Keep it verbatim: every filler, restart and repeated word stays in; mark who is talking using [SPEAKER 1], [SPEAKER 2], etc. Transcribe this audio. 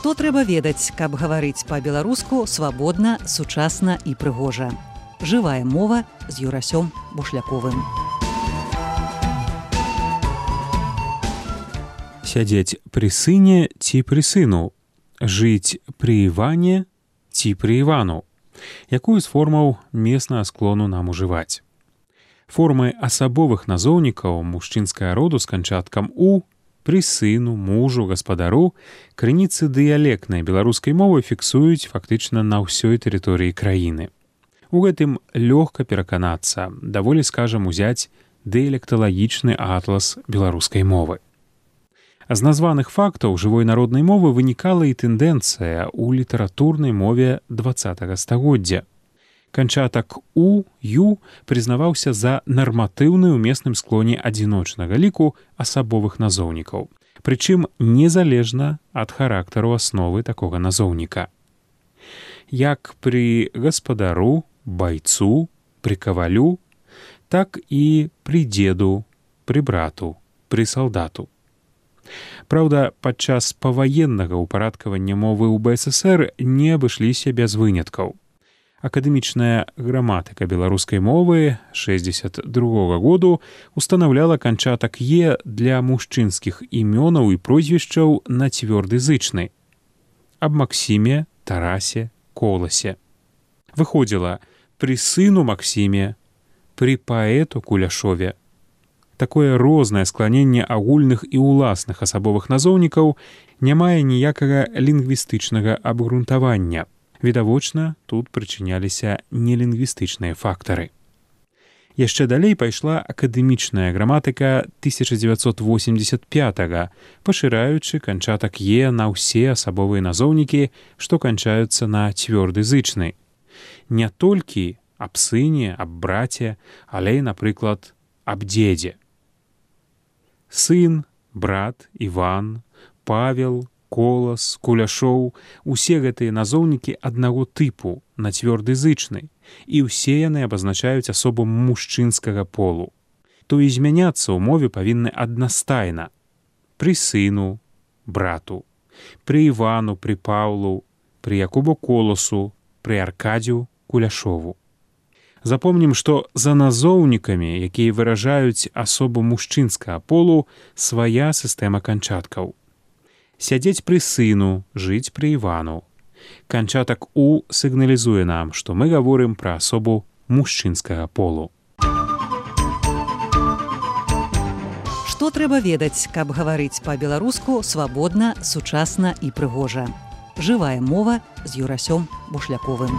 [SPEAKER 1] Што трэба ведаць, каб гаварыць па-беларуску свабодна, сучасна і прыгожа. Жывая мова з Юрасём Бушляковым.
[SPEAKER 2] Сядзець пры сыне ці пры сыну. Жыць пры Іване ці пры Івану. Якую з формаў меснага склону нам ужываць? Формы асабовых назоўнікаў мужчынскага роду з канчаткам «у» пры сыну, мужу, гаспадару крыніцы дыялектнай беларускай мовы фіксуюць фактычна на ўсёй тэрыторыі краіны. У гэтым лёгка пераканацца, даволі, скажам, узяць дыялекталагічны атлас беларускай мовы. З названых фактаў жывой народнай мовы вынікала і тэндэнцыя ў літаратурнай мове дваццатага стагоддзя. Канчатак «у», «ю» прызнаваўся за нарматыўны ў месным склоне адзіночнага ліку асабовых назоўнікаў, прычым незалежна ад характару асновы такога назоўніка. Як пры гаспадару, байцу, пры кавалю, так і пры дзеду, пры брату, пры салдату. Праўда, падчас паваеннага ўпарадкавання мовы ў бэ эс эсэр не абышліся без выняткаў. Акадэмічная граматыка беларускай мовы шэсцьдзесят другога году устанаўляла канчатак «е» для мужчынскіх імёнаў і прозвішчаў на цвёрды зычны. Аб Максіме, Тарасе, Коласе. Выходзіла пры сыну Максіме, пры паэту Куляшове. Такое рознае скланенне агульных і ўласных асабовых назоўнікаў не мае ніякага лінгвістычнага абгрунтавання. Відавочна, тут прычыняліся нелінгвістычныя фактары. Яшчэ далей пайшла акадэмічная граматыка тысяча дзевяцьсот восемьдесят пятага, пашыраючы канчатак «е» на ўсе асабовыя назоўнікі, што канчаюцца на цвёрды зычны. Не толькі аб сыне, аб браце, але і, напрыклад, аб дзедзе. Сын, брат, Іван, Павел, Колас, Куляшоў — усе гэтыя назоўнікі аднаго тыпу, на цвёрды зычны, і ўсе яны абазначаюць асобу мужчынскага полу. То і змяняцца ў мове павінны аднастайна. Пры сыну, брату, пры Івану, пры Паўлу, пры Якубу Коласу, пры Аркадзю Куляшову. Запомнім, што за назоўнікамі, якія выражаюць асобу мужчынскага полу, свая сістэма канчаткаў. Сядзець пры сыну, жыць пры Івану. Канчатак «у» сігналізуе нам, што мы гаворым пра асобу мужчынскага полу.
[SPEAKER 1] Што трэба ведаць, каб гаварыць па-беларуску свабодна, сучасна і прыгожа. Жывая мова з Юрасём Бушляковым.